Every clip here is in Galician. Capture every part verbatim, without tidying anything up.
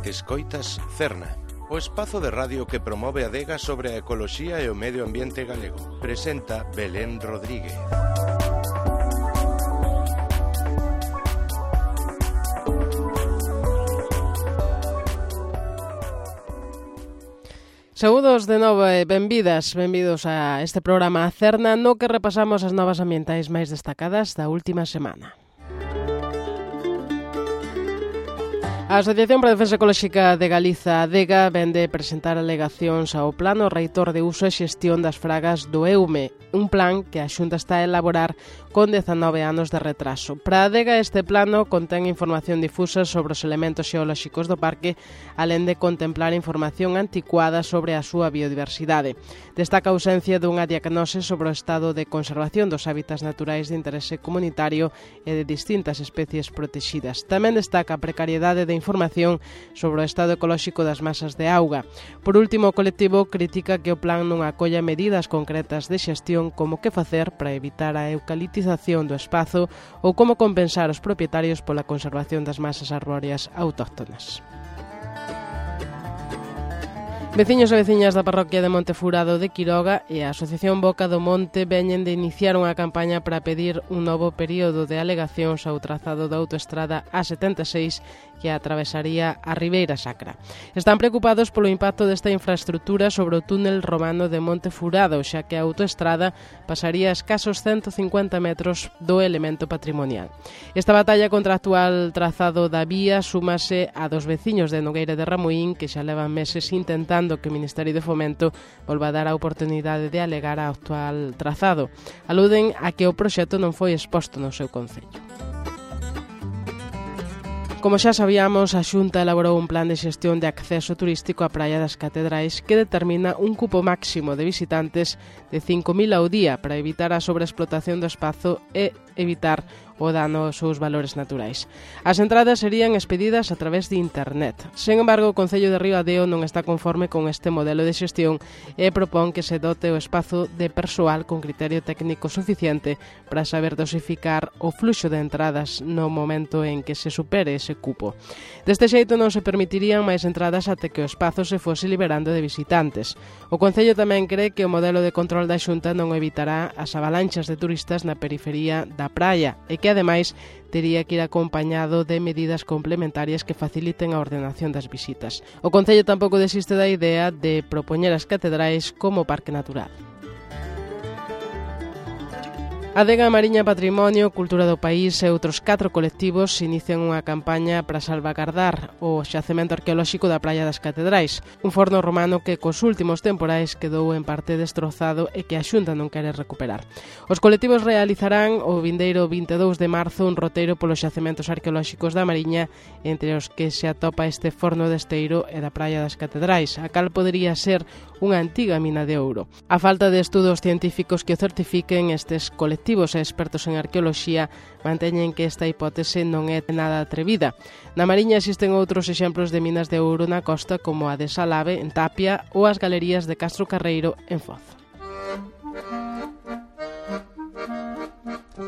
Escoitas Cerna, o espazo de radio que promove a adega sobre a ecoloxía e o medio ambiente galego. Presenta Belén Rodríguez. Saúdos de novo e benvidas, benvidos a este programa Cerna no que repasamos as novas ambientais máis destacadas da última semana. A Asociación para a Defensa Ecolóxica de Galiza, ADEGA, vende presentar alegacións ao Plano Reitor de Uso e Xestión das Fragas do EUME, un plan que a Xunta está a elaborar con dezanove anos de retraso. Para a ADEGA, este plano contén información difusa sobre os elementos xeolóxicos do parque, alén de contemplar información anticuada sobre a súa biodiversidade. Destaca a ausencia dunha diagnose sobre o estado de conservación dos hábitats naturais de interese comunitario e de distintas especies protegidas. Tamén destaca a precariedade de información sobre o estado ecolóxico das masas de auga. Por último, o colectivo critica que o plan non acolla medidas concretas de xestión como que facer para evitar a eucaliptización do espazo ou como compensar os propietarios pola conservación das masas arbóreas autóctonas. Veciños e veciñas da parroquia de Montefurado de Quiroga e a Asociación Boca do Monte veñen de iniciar unha campaña para pedir un novo período de alegacións ao trazado da autoestrada A setenta e seis que atravesaría a Ribeira Sacra. Están preocupados polo impacto desta infraestructura sobre o túnel romano de Montefurado, xa que a autoestrada pasaría a escasos ciento cincuenta metros do elemento patrimonial. Esta batalla contra o actual trazado da vía súmase a dos veciños de Nogueira de Ramuín que xa levan meses intentando que o Ministerio de Fomento volva a dar a oportunidade de alegar ao actual trazado. Aluden a que o proxecto non foi exposto no seu concello. Como xa sabíamos, a Xunta elaborou un plan de xestión de acceso turístico á Praia das Catedrais que determina un cupo máximo de visitantes de cinco mil ao día para evitar a sobreexplotación do espazo e evitar o dano aos seus valores naturais. As entradas serían expedidas a través de internet. Sen embargo, o Concello de Ribadeo non está conforme con este modelo de xestión e propón que se dote o espazo de persoal con criterio técnico suficiente para saber dosificar o fluxo de entradas no momento en que se supere ese cupo. Deste xeito non se permitirían máis entradas até que o espazo se fose liberando de visitantes. O Concello tamén cree que o modelo de control da Xunta non evitará as avalanchas de turistas na periferia da praia e que ademais tería que ir acompañado de medidas complementarias que faciliten a ordenación das visitas. O Concello tampouco desiste da idea de propoñer as catedrais como parque natural. A Adega Mariña Patrimonio, Cultura do País e outros catro colectivos inician unha campaña para salvagardar o xacemento arqueolóxico da Praia das Catedrais, un forno romano que cos últimos temporais quedou en parte destrozado e que a Xunta non quere recuperar. Os colectivos realizarán o vindeiro vinte e dous de marzo un roteiro polos xacementos arqueolóxicos da Mariña, entre os que se atopa este forno de esteiro e da Praia das Catedrais, a cal podería ser unha antiga mina de ouro. A falta de estudos científicos que o certifiquen, estes colectivos e expertos en arqueoloxía manteñen que esta hipótese non é nada atrevida. Na Mariña existen outros exemplos de minas de ouro na costa como a de Salave, en Tapia, ou as galerías de Castro Carreiro, en Foz.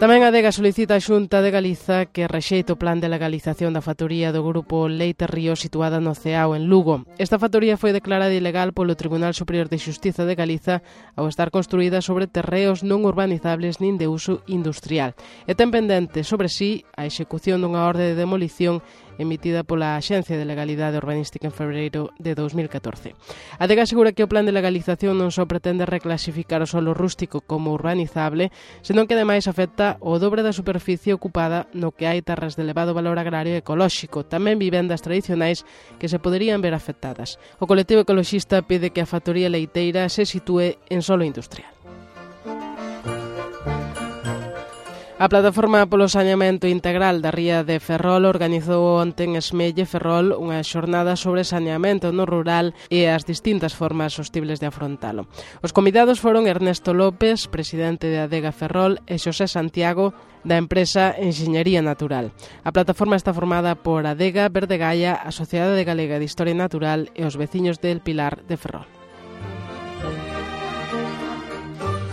Tamén a ADEGA solicita a Xunta de Galiza que rexeite o plan de legalización da factoría do grupo Leite Río situada no Ceao, en Lugo. Esta factoría foi declarada ilegal polo Tribunal Superior de Xustiza de Galiza ao estar construída sobre terreos non urbanizables nin de uso industrial. E ten pendente sobre sí a execución dunha orde de demolición emitida pola Axencia de Legalidade Urbanística en febreiro de dos mil catorce. A ADEGA asegura que o plan de legalización non só pretende reclasificar o solo rústico como urbanizable, senón que ademais afecta o dobre da superficie ocupada no que hai terras de elevado valor agrario e ecolóxico, tamén vivendas tradicionais que se poderían ver afectadas. O colectivo ecoloxista pide que a factoría leiteira se sitúe en solo industrial. A Plataforma polo Saneamento Integral da Ría de Ferrol organizou onte en Esmelle, Ferrol, unha xornada sobre saneamento no rural e as distintas formas sostibles de afrontalo. Os convidados foron Ernesto López, presidente de ADEGA Ferrol, e Xosé Santiago, da empresa Enxeñería Natural. A plataforma está formada por ADEGA, Verde Gaia, a Sociedade Galega de Historia Natural e os veciños del Pilar de Ferrol.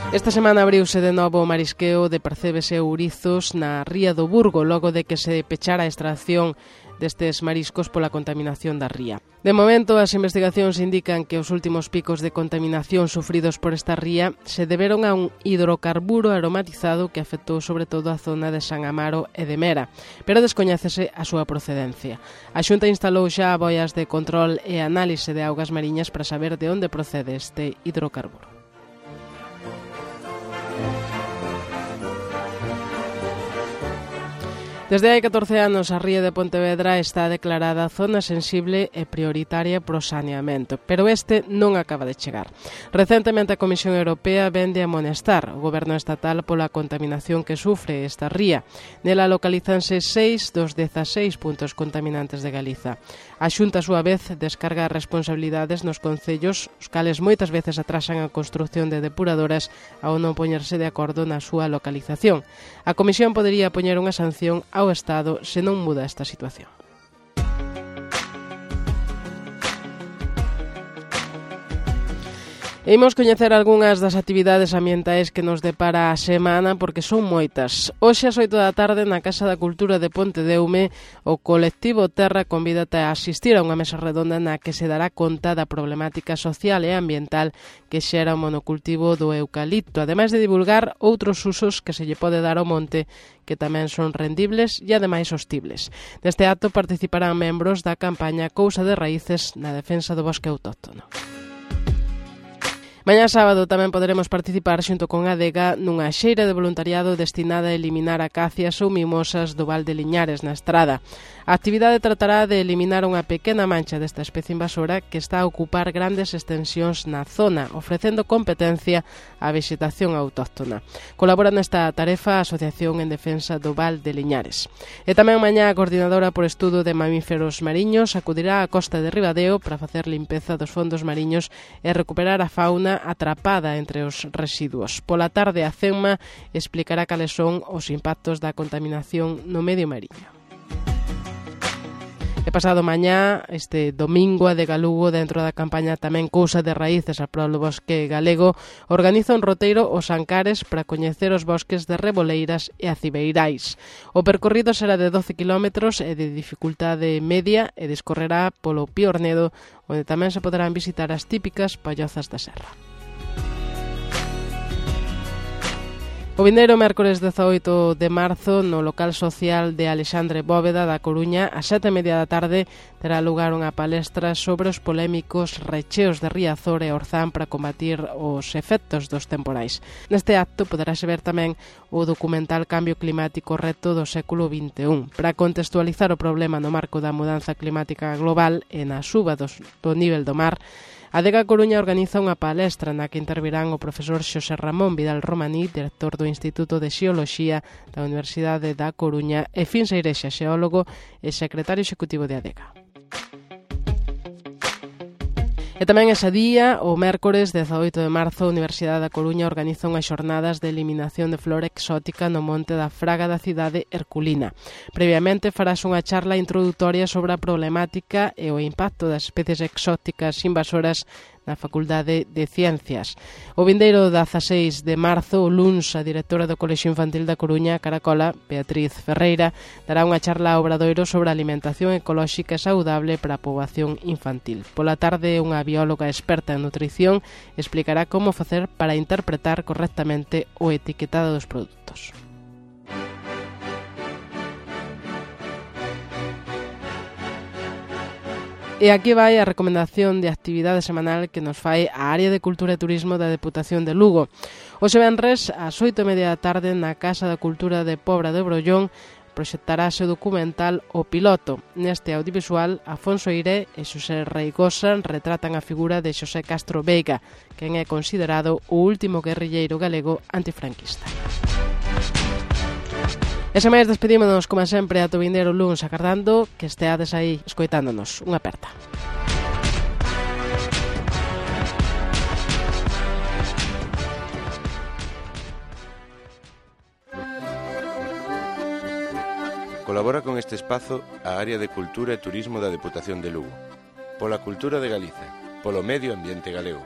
Esta semana abriuse de novo o marisqueo de percebes e ourizos na ría do Burgo, logo de que se pechara a extracción destes mariscos pola contaminación da ría. De momento, as investigacións indican que os últimos picos de contaminación sufridos por esta ría se deberon a un hidrocarburo aromatizado que afectou sobre todo a zona de San Amaro e de Mera, pero descoñécese a súa procedencia. A Xunta instalou xa boias de control e análise de augas mariñas para saber de onde procede este hidrocarburo. Desde hai catorce anos, a ría de Pontevedra está declarada zona sensible e prioritaria pro saneamento, pero este non acaba de chegar. Recentemente a Comisión Europea vende a amonestar o goberno estatal pola contaminación que sufre esta ría. Nela localízanse seis dos dezaseis puntos contaminantes de Galiza. A Xunta, a súa vez, descarga responsabilidades nos concellos, os cales moitas veces atrasan a construción de depuradoras ao non poñerse de acordo na súa localización. A Comisión podería poñer unha sanción ao Estado se non muda esta situación. Imos coñecer algunhas das actividades ambientais que nos depara a semana porque son moitas. Hoxe ás oito da tarde na Casa da Cultura de Pontedeume o colectivo Terra convídate a asistir a unha mesa redonda na que se dará conta da problemática social e ambiental que xera o monocultivo do eucalipto, ademais de divulgar outros usos que se lle pode dar ao monte que tamén son rendibles e ademais sostibles. Neste acto participarán membros da campaña Cousa de Raíces na defensa do bosque autóctono. Mañá sábado tamén poderemos participar xunto con Adega nunha xeira de voluntariado destinada a eliminar acacias ou mimosas do Val de Liñares na Estrada. A actividade tratará de eliminar unha pequena mancha desta especie invasora que está a ocupar grandes extensións na zona, ofrecendo competencia á vexetación autóctona. Colabora nesta tarefa a Asociación en Defensa do Val de Liñares. E tamén mañá a Coordinadora por Estudo de Mamíferos Mariños acudirá á costa de Ribadeo para facer limpeza dos fondos mariños e recuperar a fauna atrapada entre os residuos. Pola tarde a CEMMA explicará cales son os impactos da contaminación no medio mariño. E pasado mañá, este domingo, a Adega Lugo, dentro da campaña tamén Cousa de Raíces a prol do bosque galego, organiza un roteiro os Ancares para coñecer os bosques de Reboleiras e Acibeirais. O percorrido será de doce kilómetros e de dificultade media e discorrerá polo Piornedo, onde tamén se poderán visitar as típicas pallozas da serra. O vindeiro mércores dezaoito de marzo no local social de Alexandre Bóveda da Coruña a sete e media da tarde terá lugar unha palestra sobre os polémicos recheos de Riazor e Orzán para combatir os efectos dos temporais. Neste acto poderase ver tamén o documental Cambio Climático Reto do século vinte e un. Para contextualizar o problema no marco da mudanza climática global e na suba dos, do nivel do mar, a Adega Coruña organiza unha palestra na que intervirán o profesor Xosé Ramón Vidal Romaní, director do Instituto de Xeoloxía da Universidade da Coruña, e Fin Seirexa, xeólogo e secretario executivo de Adega. E tamén ese día, o mércores dezaoito de marzo, a Universidade da Coruña organiza unhas xornadas de eliminación de flora exótica no monte da Fraga da cidade Herculina. Previamente farás unha charla introdutoria sobre a problemática e o impacto das especies exóticas invasoras na Facultade de Ciencias. O vindeiro dezaseis de marzo, o luns, a directora do Colexio Infantil da Coruña, Caracola, Beatriz Ferreira, dará unha charla ao Obradoiro sobre a alimentación ecolóxica e saudable para a poboación infantil. Pola tarde, unha bióloga experta en nutrición explicará como facer para interpretar correctamente o etiquetado dos produtos. E aquí vai a recomendación de actividade semanal que nos fai a Área de Cultura e Turismo da Deputación de Lugo. Hoxe venres, ás oito e media da tarde, na Casa da Cultura de Pobra de Brollón, proxectarase o documental O Piloto. Neste audiovisual, Afonso Eiré e Xosé Reigosa retratan a figura de Xosé Castro Veiga, quen é considerado o último guerrilleiro galego antifranquista. E sen máis, despedímonos, como sempre, a vindeiro luns, agardando que esteades aí escoitándonos. Unha aperta. Colabora con este espazo a Área de Cultura e Turismo da Deputación de Lugo. Pola cultura de Galiza, polo medio ambiente galego.